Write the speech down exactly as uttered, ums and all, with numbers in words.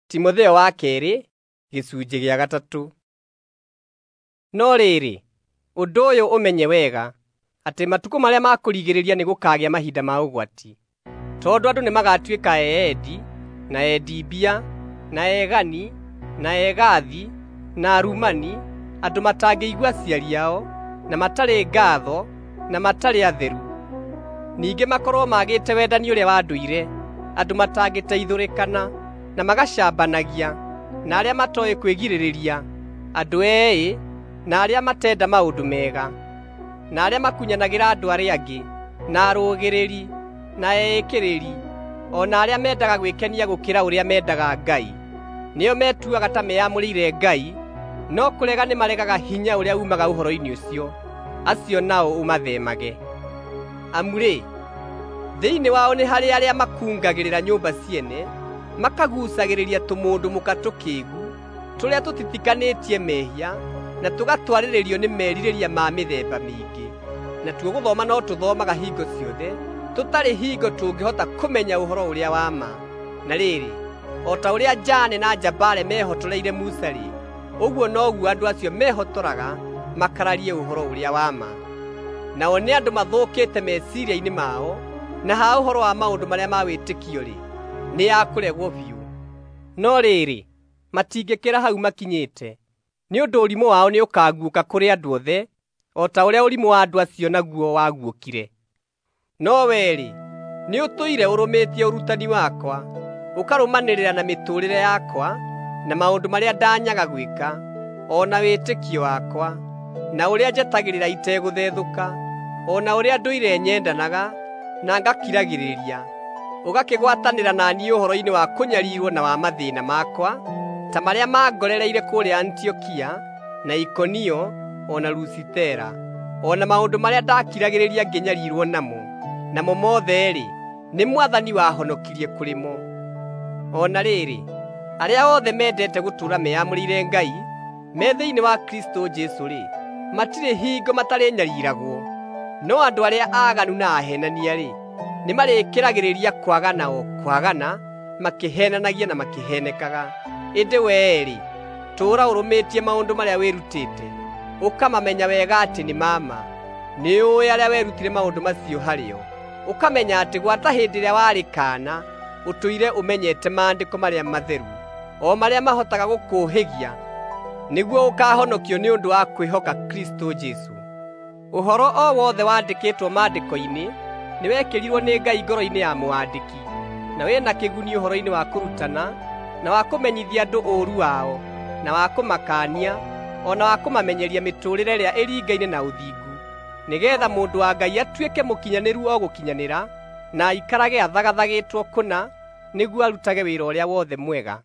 Timotheo wa keerĩ gĩcunjĩ gĩa gatatũ. No rĩrĩ, ũndũ ũyũ ũmenye wega, atĩ matukũ marĩa ma kũrigĩrĩria nĩgũkagĩa mahinda ma ũgwati. Tondũ andũ nĩmagatuĩka eendi, na endi mbia, na egani, na egathi, na arumani, andũ matangĩigua aciari ao, na matarĩ ngaatho, na matarĩ atheru. Ningĩ makorwo maagĩte wendani ũrĩa wa ndũire, andũ matangĩteithũrĩkana, na magacambanagia, na arĩa matooĩ kwĩgirĩrĩria, andũ eĩ, na arĩa matenda maũndũ mega, na arĩa makunyanagĩra andũ arĩa angĩ, na arũgĩrĩri, na eĩkĩrĩri, o na arĩa mendaga gwĩkenia gũkĩra ũrĩa mendaga Ngai. Nĩo metuaga ta meyamũrĩire Ngai, no kũrega nĩmaregaga hinya ũrĩa uumaga ũhoro-inĩ ũcio. Acio nao ũmatheemage. Amu-rĩ, thĩinĩ wao nĩ harĩ arĩa makungagĩrĩra nyũmba ciene, makaguucagĩrĩria tũmũndũ mũka tũkĩĩgu, tũrĩa tũtitikanĩtie mehia, na tũgatwarĩrĩrio nĩ merirĩria ma mĩthemba mĩingĩ. Natuo gũthoma no tũthomaga hingo ciothe, tũtarĩ hingo tũngĩhota kũmenya ũhoro ũrĩa wa ma. Na rĩrĩ, o ta ũrĩa Jane na Jambare mehotoreire Musa-rĩ, ũguo noguo andũ acio mehotoraga makararie ũhoro ũrĩa wa ma. Nao nĩ andũ mathũkĩte meciiria-inĩ mao, na ha ũhoro wa maũndũ marĩa ma wĩtĩkio-rĩ, nĩ a kũregwo biũ. No rĩrĩ, matingĩkĩra hau makinyĩte, nĩ ũndũ ũrimũ wao nĩũkaguũka kũrĩ andũ othe, o ta ũrĩa ũrimũ wa andũ acio naguo waguũkire. No wee-rĩ, nĩũtũire ũrũmĩtie ũrutani wakwa, ũkarũmanĩrĩra na mĩtũũrĩre yakwa, na maũndũ marĩa ndanyaga gwĩka, o na wĩtĩkio wakwa, na ũrĩa njetagĩrĩra itegũthethũka, o na ũrĩa ndũire nyendanaga, na ngakiragĩrĩria, ũgakĩgwatanĩra na niĩ ũhoro-inĩ wa kũnyariirwo na wa mathĩĩna makwa, ta marĩa mangorereire kũrĩa Antiokia, na Ikonio, o na Lusitera, o na maũndũ marĩa ndakiragĩrĩria ngĩnyariirwo namo. Namo mothe-rĩ, nĩ Mwathani wahonokirie kũrĩ mo. O na rĩrĩ, arĩa othe mendete gũtũũra meyamũrĩire Ngai, me thĩinĩ wa Kristũ Jesũ-rĩ, matirĩ hingo matarĩnyariiragwo. No andũ arĩa aaganu na aheenania-rĩ, nĩmarĩkĩragĩrĩria kwagana o kwagana, makĩheenanagia na makĩheenekaga. Ĩndĩ wee-rĩ, tũũra ũrũmĩtie maũndũ marĩa wĩrutĩte, ũkamamenya wega atĩ nĩ ma ma. Nĩũũĩ arĩa werutire maũndũ macio harĩo, ũkamenya atĩ gwata hĩndĩ ĩrĩa warĩ kaana ũtũire ũmenyete maandĩko marĩa matheru, o marĩa mahotaga gũkũũhĩgia, nĩguo ũkaahonokio nĩ ũndũ wa kwĩhoka Kristũ Jesũ. Ũhoro o wothe wandĩkĩtwo maandĩko-inĩ nĩwekĩrirwo nĩ Ngai ngoro-inĩ ya mũwandĩki, na wĩ na kĩguni ũhoro-inĩ wa kũrutana, na wa kũmenyithia andũ ũũru wao, na wa kũmakaania, o na wa kũmamenyeria mĩtũũrĩre ĩrĩa ĩringaine na ũthingu, nĩgeetha mũndũ wa Ngai atuĩke mũkinyanĩru o gũkinyanĩra, na aikarage athagathagĩtwo kũna, nĩguo arutage wĩra ũrĩa wothe mwega.